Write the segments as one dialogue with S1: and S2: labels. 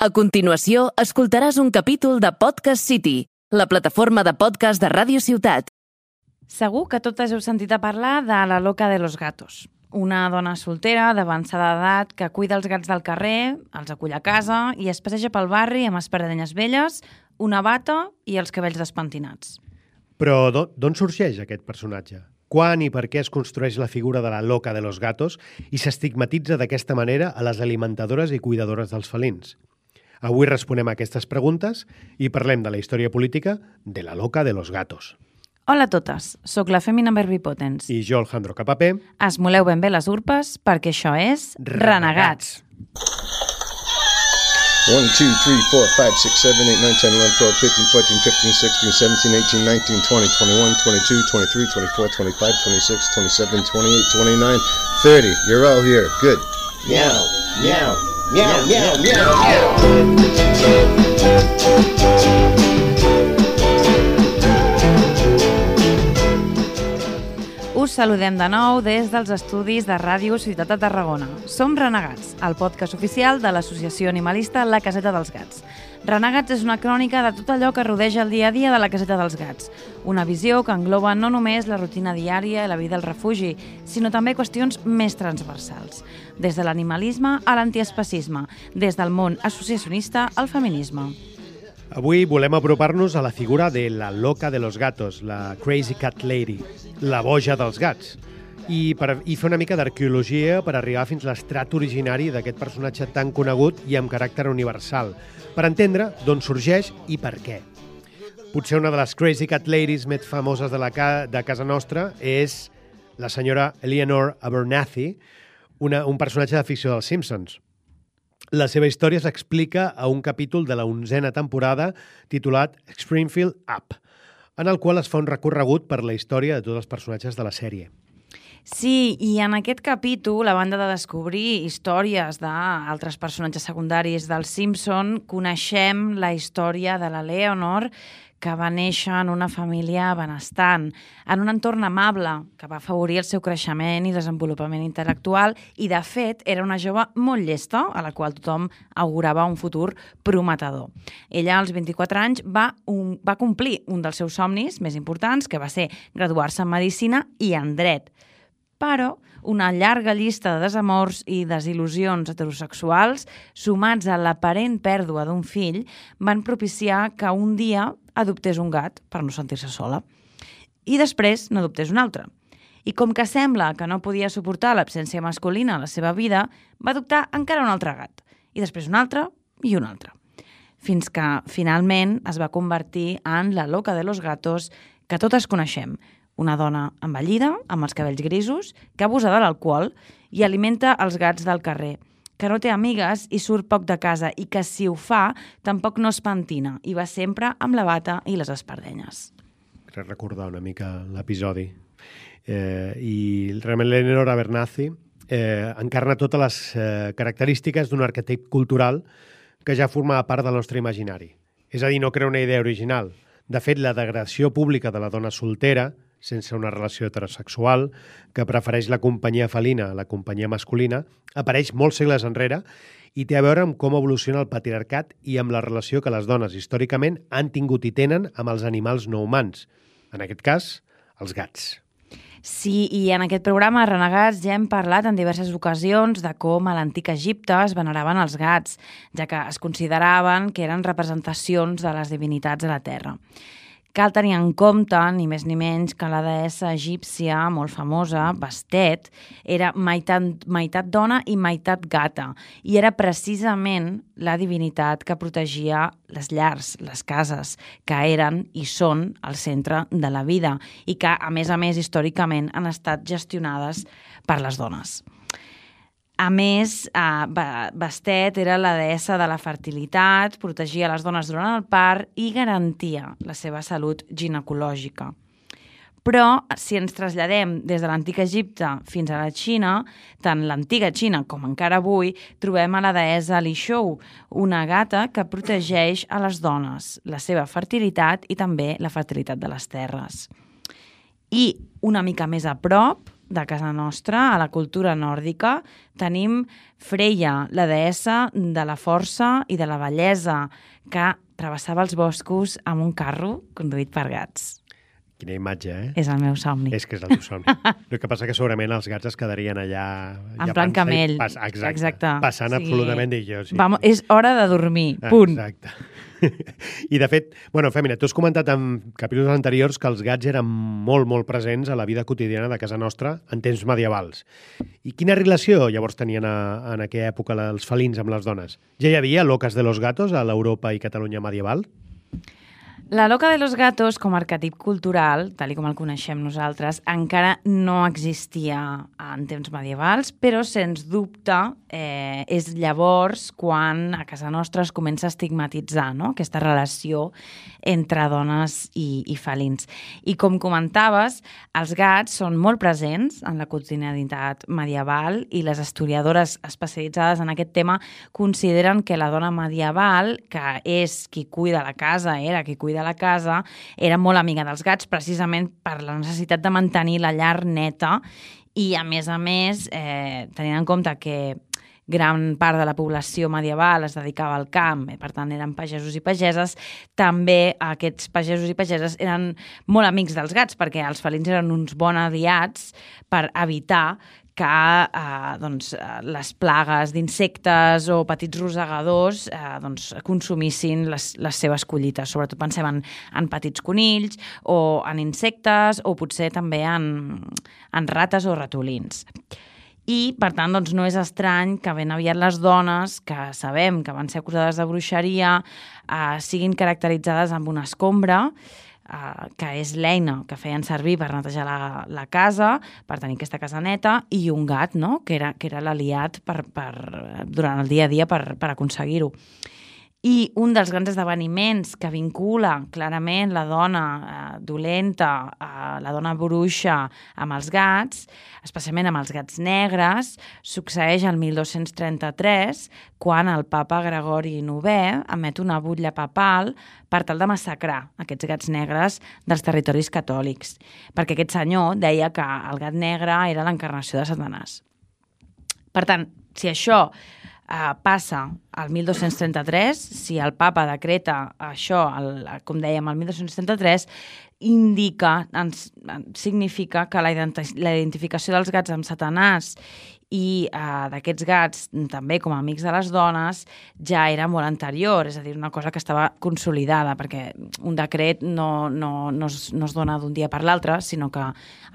S1: A continuació, escoltaràs un capítol de Podcast City, la plataforma de podcast de Ràdio Ciutat.
S2: Segur que totes heu sentit a parlar de la loca de los gatos. Una dona soltera d'avançada edat que cuida els gats del carrer, els acull a casa i es passeja pel barri amb espardenyes velles, una bata i els cabells despentinats.
S3: Però d'on sorgeix aquest personatge? Quan i per què es construeix la figura de la loca de los gatos i s'estigmatitza d'aquesta manera a les alimentadores i cuidadores dels felins? Avui responem a aquestes preguntes i parlem de la història política de la loca de los gatos.
S2: Hola a totes, sóc la Fèmina Verbipotens.
S3: I jo, Alejandro Capapé.
S2: Esmoleu ben bé les urpes perquè això és Renegats.
S4: 1, 2, 3, 4, 5, 6, 7, 8, 9, 10, 11, 12, 13, 14, 15, 16, 17, 18, 19, 20, 21, 22, 23, 24, 25, 26, 27, 28, 29, 30. You're all here. Good. Meow, meow, meow, meow, meow, meow.
S2: Us saludem de nou des dels estudis de Ràdio Ciutat de Tarragona. Som Renegats, el podcast oficial de l'associació animalista La Caseta dels Gats. Renegats és una crònica de tot allò que rodeja el dia a dia de la Caseta dels Gats. Una visió que engloba no només la rutina diària i la vida al refugi, sinó també qüestions més transversals. Des de l'animalisme a l'antiespecisme, des del món associacionista al feminisme.
S3: Avui volem apropar-nos a la figura de la loca de los gatos, la Crazy Cat Lady, la boja dels gats, i fer una mica d'arqueologia per arribar fins a l'estrat originari d'aquest personatge tan conegut i amb caràcter universal, per entendre d'on sorgeix i per què. Potser una de les Crazy Cat Ladies més famoses de casa nostra és la senyora Eleanor Abernathy, un personatge de ficció dels Simpsons. La seva història s'explica a un capítol de la 11a temporada titulat Springfield Up, en el qual es fa un recorregut per la història de tots els personatges de la sèrie.
S2: Sí, i en aquest capítol, a banda de descobrir històries d'altres personatges secundaris dels Simpson, coneixem la història de la Leonor, que va néixer en una família benestant, en un entorn amable que va afavorir el seu creixement i desenvolupament intel·lectual i, de fet, era una jove molt llesta, a la qual tothom augurava un futur prometedor. Ella, als 24 anys, va complir un dels seus somnis més importants, que va ser graduar-se en Medicina i en Dret. Però una llarga llista de desamors i desil·lusions heterosexuals, sumats a l'aparent pèrdua d'un fill, van propiciar que un dia adoptés un gat per no sentir-se sola. I després n'adoptés un altre. I com que sembla que no podia suportar l'absència masculina a la seva vida, va adoptar encara un altre gat. I després un altre i un altre. Fins que, finalment, es va convertir en la loca de los gatos que totes coneixem. Una dona envellida, amb els cabells grisos, que abusa de l'alcohol i alimenta els gats del carrer, que no té amigues i surt poc de casa i que, si ho fa, tampoc no es pentina i va sempre amb la bata i les espardenyes.
S3: Crec recordar una mica l'episodi. I realment l'Eleanor Abernathy encarna totes les característiques d'un arquetip cultural que ja formava part del nostre imaginari. És a dir, no crea una idea original. De fet, la degradació pública de la dona soltera, sense una relació heterosexual, que prefereix la companyia felina a la companyia masculina, apareix molts segles enrere i té a veure amb com evoluciona el patriarcat i amb la relació que les dones històricament han tingut i tenen amb els animals no humans. En aquest cas, els gats.
S2: Sí, i en aquest programa Renegats ja hem parlat en diverses ocasions de com a l'antic Egipte es veneraven els gats, ja que es consideraven que eren representacions de les divinitats a la terra. Cal tenir en compte, ni més ni menys, que la deessa egípcia molt famosa, Bastet, era meitat dona i meitat gata, i era precisament la divinitat que protegia les llars, les cases, que eren i són el centre de la vida, i que, a més, històricament han estat gestionades per les dones. A més, Bastet era la deessa de la fertilitat, protegia les dones durant el part i garantia la seva salut ginecològica. Però, si ens traslladem des de l'antic Egipte fins a la Xina, tant l'antiga Xina com encara avui, trobem a la deessa Li Shou, una gata que protegeix a les dones, la seva fertilitat i també la fertilitat de les terres. I, una mica més a prop, de casa nostra, a la cultura nòrdica, tenim Freya, la deessa de la força i de la bellesa, que travessava els boscos amb un carro conduït per gats.
S3: Quina imatge, eh?
S2: És el meu somni.
S3: És que és el teu somni. El que passa que segurament els gats es quedarien allà...
S2: En plan camell.
S3: Exacte. Passant absolutament d'ells. Sí.
S2: Vamos, és hora de dormir, punt.
S3: Exacte. I, de fet, Fèmina, tu has comentat en capítols anteriors que els gats eren molt, molt presents a la vida quotidiana de casa nostra en temps medievals. I quina relació llavors tenien en aquella època els felins amb les dones? Ja hi havia locas de los gatos a l'Europa i Catalunya medieval?
S2: La loca de los gatos, com a arquetip cultural, tal com el coneixem nosaltres, encara no existia en temps medievals, però, sens dubte, és llavors quan a casa nostra es comença a estigmatitzar, no?, aquesta relació entre dones i felins. I, com comentaves, els gats són molt presents en la quotidianitat medieval i les historiadores especialitzades en aquest tema consideren que la dona medieval, que és qui cuida la casa, era qui cuida la casa, era molt amiga dels gats precisament per la necessitat de mantenir la llar neta i, a més, tenint en compte que gran part de la població medieval es dedicava al camp, per tant eren pagesos i pageses, també aquests pagesos i pageses eren molt amics dels gats perquè els felins eren uns bons aliats per evitar que les plagues d'insectes o petits rosegadors consumissin les seves collites. Sobretot pensem en petits conills o en insectes o potser també en rates o ratolins. I, per tant, no és estrany que ben aviat les dones, que sabem que van ser acusades de bruixeria, siguin caracteritzades amb una escombra, que és l'eina que feien servir per netejar la casa, per tenir aquesta casa neta, i un gat, no?, que era l'aliat durant el dia a dia per aconseguir-ho. I un dels grans esdeveniments que vincula clarament la dona dolenta, la dona bruixa, amb els gats, especialment amb els gats negres, succeeix el 1233, quan el papa Gregori IX emet una butlla papal per tal de massacrar aquests gats negres dels territoris catòlics, perquè aquest senyor deia que el gat negre era l'encarnació de Satanàs. Per tant, si això passa al 1233, si el papa decreta això, com dèiem, el 1233, significa que la identificació dels gats amb Satanàs i d'aquests gats també com a amics de les dones ja era molt anterior, és a dir, una cosa que estava consolidada, perquè un decret no es dona d'un dia per l'altre, sinó que,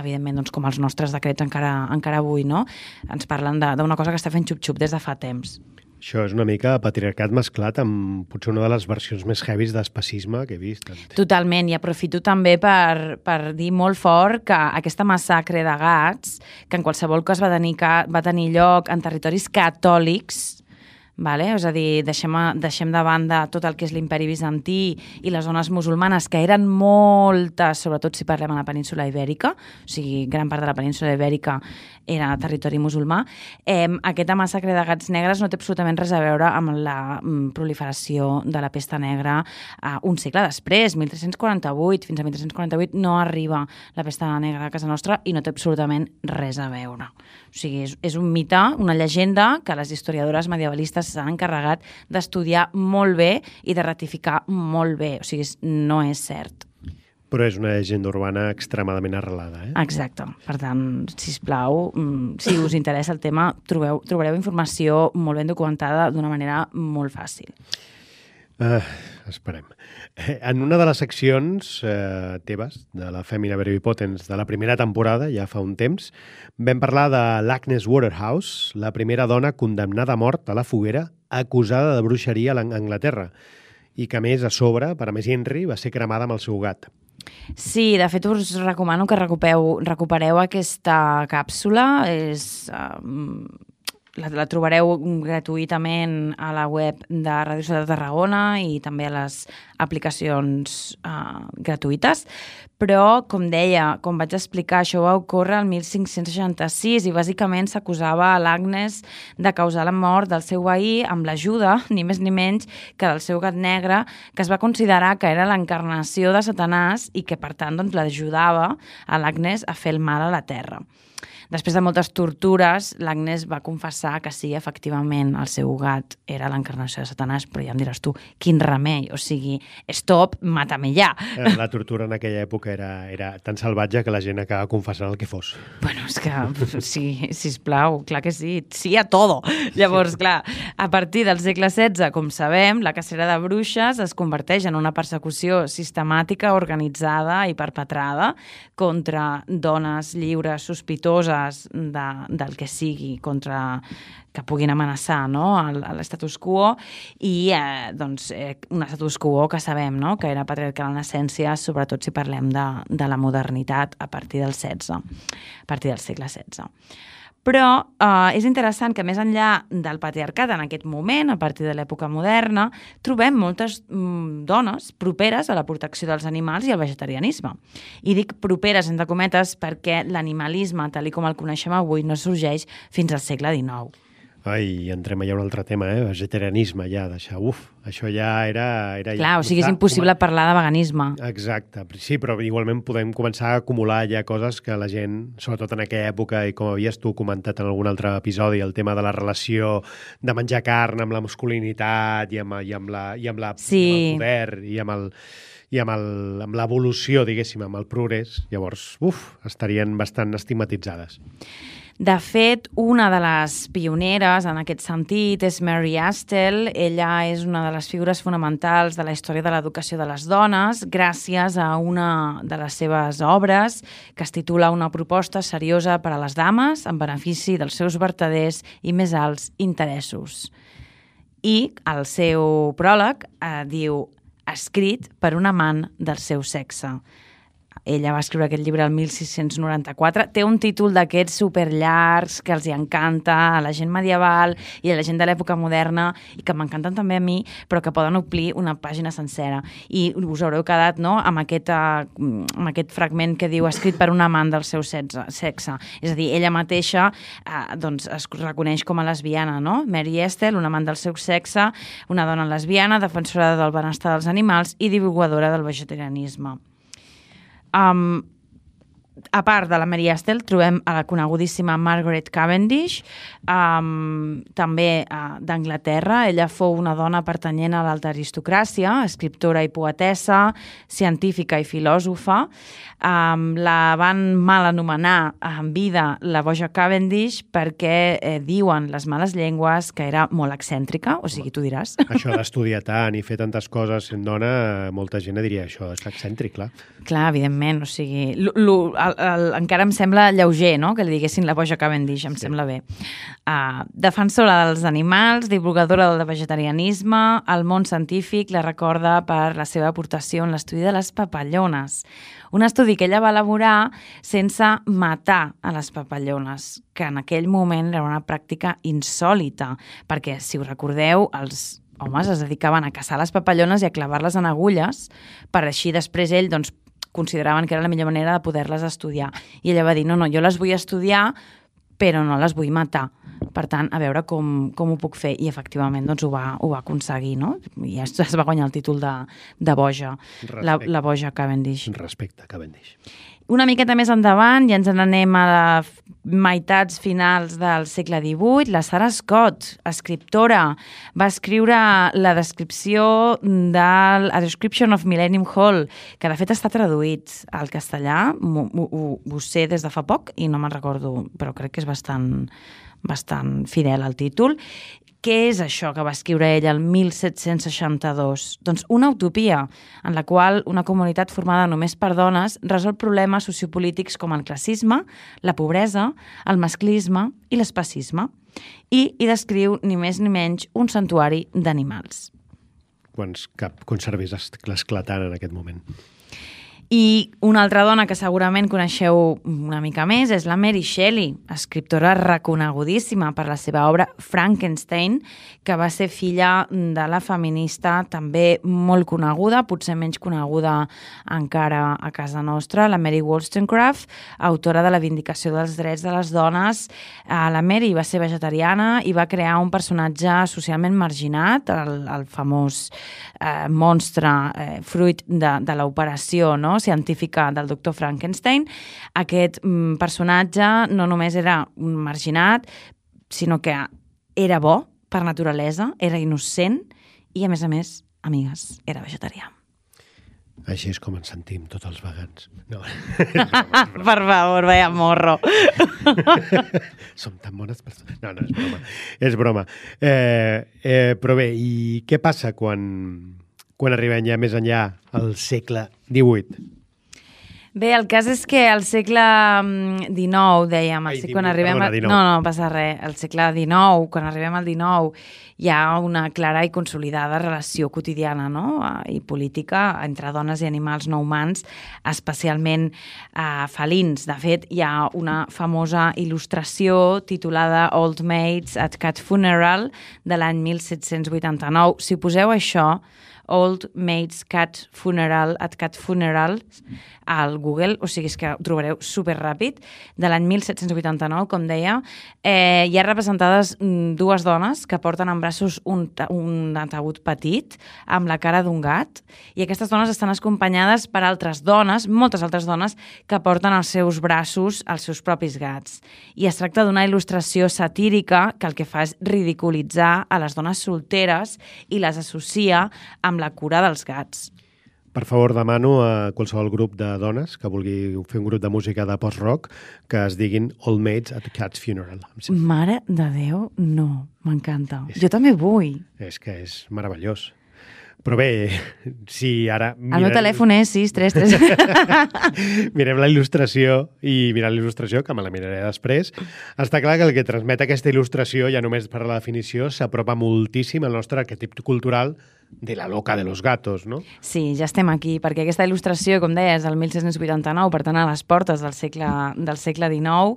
S2: evidentment, com els nostres decrets encara avui, no? Ens parlen d'una cosa que està fent xup-xup des de fa temps.
S3: Això és una mica patriarcat mesclat amb potser una de les versions més heavies d'especisme que he vist.
S2: Totalment, i aprofito també per dir molt fort que aquesta massacre de gats, que en qualsevol cas va tenir lloc en territoris catòlics, és a dir, deixem de banda tot el que és l'imperi bizantí i les zones musulmanes, que eren moltes, sobretot si parlem a la península ibèrica, o sigui, gran part de la península ibèrica era territori musulmà. Aquesta massacre de gats negres no té absolutament res a veure amb la proliferació de la pesta negra un segle després, 1348, fins a 1348 no arriba la pesta negra a casa nostra i no té absolutament res a veure. O sigui, és un mite, una llegenda que les historiadores medievalistes s'han encarregat d'estudiar molt bé i de ratificar molt bé. O sigui, no és cert.
S3: Però és una llegenda urbana extremadament arrelada,
S2: Exacte. Per tant, sisplau, si us interessa el tema, trobareu informació molt ben documentada d'una manera molt fàcil.
S3: Esperem. En una de les seccions teves, de la Fèmina Veribipotens de la primera temporada, ja fa un temps, vam parlar de l'Agnes Waterhouse, la primera dona condemnada a mort a la foguera acusada de bruixeria a Anglaterra, i que, a més, a sobre, per a més Henry, va ser cremada amb el seu gat.
S2: Sí, de fet us recomano que recupereu aquesta càpsula. La trobareu gratuïtament a la web de Ràdio Ciutat de Tarragona i també a les aplicacions gratuïtes, Però, com deia, com vaig explicar, això va ocórrer el 1566 i bàsicament s'acusava a l'Agnes de causar la mort del seu veí amb l'ajuda, ni més ni menys, que del seu gat negre, que es va considerar que era l'encarnació de Satanàs i que, per tant, doncs, l'ajudava a l'Agnes a fer el mal a la terra. Després de moltes tortures, l'Agnes va confessar que sí, efectivament, el seu gat era l'encarnació de Satanàs, però ja em diràs tu, quin remei, o sigui, stop, mata-me ja.
S3: La tortura en aquella època era tan salvatge que la gent acaba confessant el que fos.
S2: Bueno, és que, sí, sisplau, clar que sí, sí a todo. Llavors, clar, a partir del segle XVI, com sabem, la cacera de bruixes es converteix en una persecució sistemàtica, organitzada i perpetrada contra dones lliures, sospitoses, del que sigui, contra que puguin amenaçar, no? l'estatus quo i un status quo que sabem, no? Que era patriarcal en essència, sobretot si parlem de la modernitat a partir del segle XVI. Però és interessant que més enllà del patriarcat en aquest moment, a partir de l'època moderna, trobem moltes dones properes a la protecció dels animals i al vegetarianisme. I dic properes, entre cometes, perquè l'animalisme, tal com el coneixem avui, no sorgeix fins al segle XIX.
S3: Ai, entrem allà a un altre tema, vegetarianisme, ja, deixar, això ja era...
S2: Clar, o sigui, és impossible parlar de veganisme.
S3: Exacte, sí, però igualment podem començar a acumular ja coses que la gent, sobretot en aquella època, i com havies tu comentat en algun altre episodi, el tema de la relació de menjar carn amb la masculinitat i amb el poder i amb l'evolució, diguéssim, amb el progrés, llavors, estarien bastant estigmatitzades.
S2: De fet, una de les pioneres en aquest sentit és Mary Astle. Ella és una de les figures fonamentals de la història de l'educació de les dones gràcies a una de les seves obres que es titula Una proposta seriosa per a les dames en benefici dels seus vertaders i més alts interessos. I el seu pròleg diu escrit per un amant del seu sexe. Ella va escriure aquest llibre el 1694. Té un títol d'aquests superllargs que els encanta a la gent medieval i a la gent de l'època moderna i que m'encanten també a mi, però que poden omplir una pàgina sencera. I us haureu quedat, no?, amb aquest fragment que diu escrit per un amant del seu sexe. És a dir, ella mateixa es reconeix com a lesbiana, no? Mary Astle, un amant del seu sexe, una dona lesbiana, defensora del benestar dels animals i divulgadora del vegetarianisme. A part de la Mary Astle, trobem a la conegudíssima Margaret Cavendish, també d'Anglaterra. Ella fou una dona pertanyent a l'alta aristocràcia, escriptora i poetessa, científica i filòsofa. La van mal anomenar en vida la boja Cavendish perquè diuen les males llengües que era molt excèntrica, o sigui, tu diràs.
S3: Això d'estudiar tant i fer tantes coses sent dona, molta gent diria això, és excèntric, clar.
S2: Clar, evidentment, o sigui, encara em sembla lleuger, no?, que li diguessin la boja Cavendish, em sembla bé. Defensora dels animals, divulgadora del vegetarianisme, el món científic la recorda per la seva aportació en l'estudi de les papallones. Un estudi que ella va elaborar sense matar a les papallones, que en aquell moment era una pràctica insòlita, perquè, si us recordeu, els homes es dedicaven a caçar les papallones i a clavar-les en agulles, per així després ell, doncs, consideraven que era la millor manera de poder-les estudiar. I ella va dir, no, jo les vull estudiar, però no les vull matar. Per tant, a veure com ho puc fer. I efectivament doncs, ho va aconseguir, no? I es va guanyar el títol de boja, la boja Cavendish.
S3: Respecte, Cavendish.
S2: Una miqueta més endavant, ja ens n'anem a les meitats finals del segle XVIII, la Sarah Scott, escriptora, va escriure la descripció del A Description of Millennium Hall, que de fet està traduït al castellà, ho sé des de fa poc i no me'n recordo, però crec que és bastant fidel al títol. Què és això que va escriure ella el 1762? Doncs una utopia en la qual una comunitat formada només per dones resol problemes sociopolítics com el classisme, la pobresa, el masclisme i l'especisme. I hi descriu ni més ni menys un santuari d'animals.
S3: Cap conservés esclatant en aquest moment.
S2: I una altra dona que segurament coneixeu una mica més és la Mary Shelley, escriptora reconegudíssima per la seva obra Frankenstein, que va ser filla de la feminista també molt coneguda, potser menys coneguda encara a casa nostra, la Mary Wollstonecraft, autora de la Vindicació dels drets de les dones. La Mary va ser vegetariana i va crear un personatge socialment marginat, el famós monstre fruit de l'operació, no?, científica del doctor Frankenstein. Aquest personatge no només era un marginat, sinó que era bo per naturalesa, era innocent i, a més, amigues, era vegetarià.
S3: Així és com ens sentim tots els vegans. No.
S2: Per favor, vaya morro.
S3: Som tan bones persones. No, és broma. És broma. Però bé, i què passa quan arribem ja més enllà al segle XVIII?
S2: Bé, el cas és que al segle XIX, dèiem, no passa res, al segle XIX, quan arribem al XIX, hi ha una clara i consolidada relació quotidiana, no?, i política entre dones i animals no humans, especialment felins. De fet, hi ha una famosa il·lustració titulada Old Maids at Cat Funeral de l'any 1789. Si poseu això, Old Maids Cat Funeral at Cat Funerals al Google, o sigui, és que ho trobareu superràpid, de l'any 1789, com deia. Hi ha representades dues dones que porten en braços un ataúd petit amb la cara d'un gat, i aquestes dones estan acompanyades per altres dones, moltes altres dones, que porten als seus braços els seus propis gats. I es tracta d'una il·lustració satírica que el que fa és ridiculitzar a les dones solteres i les associa amb la cura dels gats.
S3: Per favor, demano a qualsevol grup de dones que vulgui fer un grup de música de post-rock que es diguin Old Maids at a Cat's Funeral.
S2: Mare de Déu, no, m'encanta. Jo també vull.
S3: És que és meravellós. Però bé, si ara...
S2: El meu telèfon és 633...
S3: Mirem la il·lustració i mirant la il·lustració, que me la miraré després, està clar que el que transmet aquesta il·lustració, ja només per la definició, s'apropa moltíssim al nostre arquetip cultural de la loca de los gatos, no?
S2: Sí, ja estem aquí, perquè aquesta il·lustració, com deies, del 1689, per tant, a les portes del segle XIX,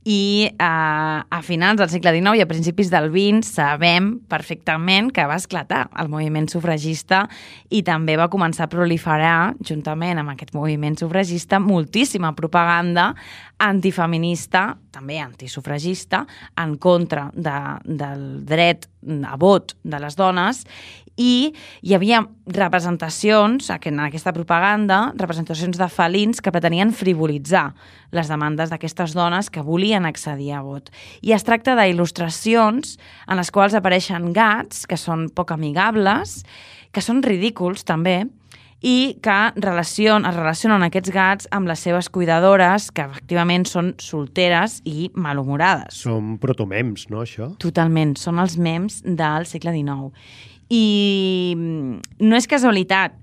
S2: i a finals del segle XIX i a principis del XX sabem perfectament que va esclatar el moviment sufragista i també va començar a proliferar, juntament amb aquest moviment sufragista, moltíssima propaganda antifeminista, també antisufragista, en contra del dret a vot de les dones, i hi havia representacions, en aquesta propaganda, representacions de felins que pretenien frivolitzar les demandes d'aquestes dones que volien accedir a vot. I es tracta d'il·lustracions en les quals apareixen gats que són poc amigables, que són ridículs també, i que es relacionen aquests gats amb les seves cuidadores, que efectivament són solteres i malhumorades.
S3: Són protomems, no, això?
S2: Totalment, són els mems del segle XIX. I no és casualitat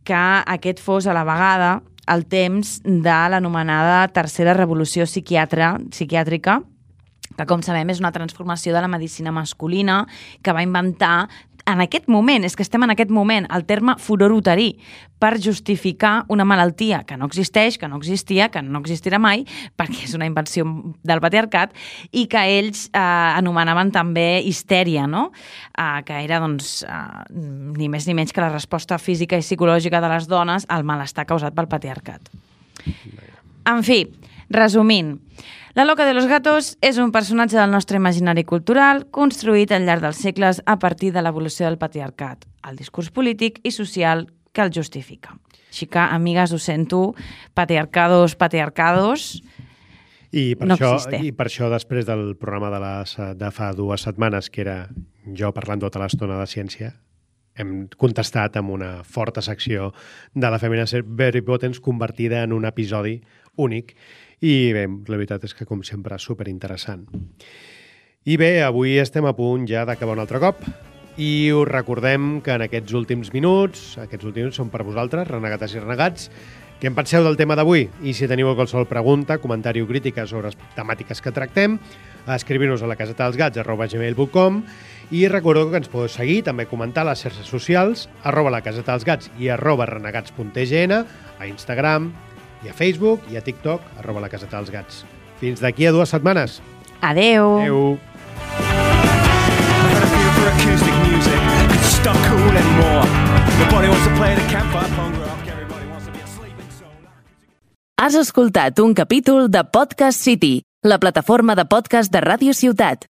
S2: que aquest fos a la vegada el temps de l'anomenada Tercera Revolució Psiquiàtrica, que, com sabem, és una transformació de la medicina masculina que va inventar en aquest moment, és que estem en aquest moment, el terme furor uterí, per justificar una malaltia que no existeix, que no existia, que no existirà mai, perquè és una invenció del patriarcat, i que ells anomenaven també histèria, no? Que era, doncs, ni més ni menys que la resposta física i psicològica de les dones al malestar causat pel patriarcat. En fi, resumint, la loca de los gatos és un personatge del nostre imaginari cultural construït al llarg dels segles a partir de l'evolució del patriarcat, el discurs polític i social que el justifica. Així que, amigues, ho sento, patriarcados, no existe.
S3: I per això, després del programa de fa 2 setmanes, que era jo parlant tota l'estona de ciència, hem contestat amb una forta secció de la Femina Very Potens convertida en un episodi únic. I bé, la veritat és que, com sempre, superinteressant. I bé, avui estem a punt ja d'acabar un altre cop i us recordem que en aquests últims minuts són per vosaltres, renegates i renegats, què en penseu del tema d'avui? I si teniu qualsevol pregunta, comentari o crítica sobre les temàtiques que tractem, escriviu-nos a lacasetadelsgats@gmail.com I recordo que ens podeu seguir, també comentar a les xarxes socials, @lacasetadelsgats i @renegats.tgn, a Instagram i a Facebook i a TikTok, @lacasetadelsgats. Fins d'aquí a 2 setmanes.
S2: Adeu.
S3: Adeu.
S1: Has escoltat un capítol de Podcast City, la plataforma de podcast de Ràdio Ciutat.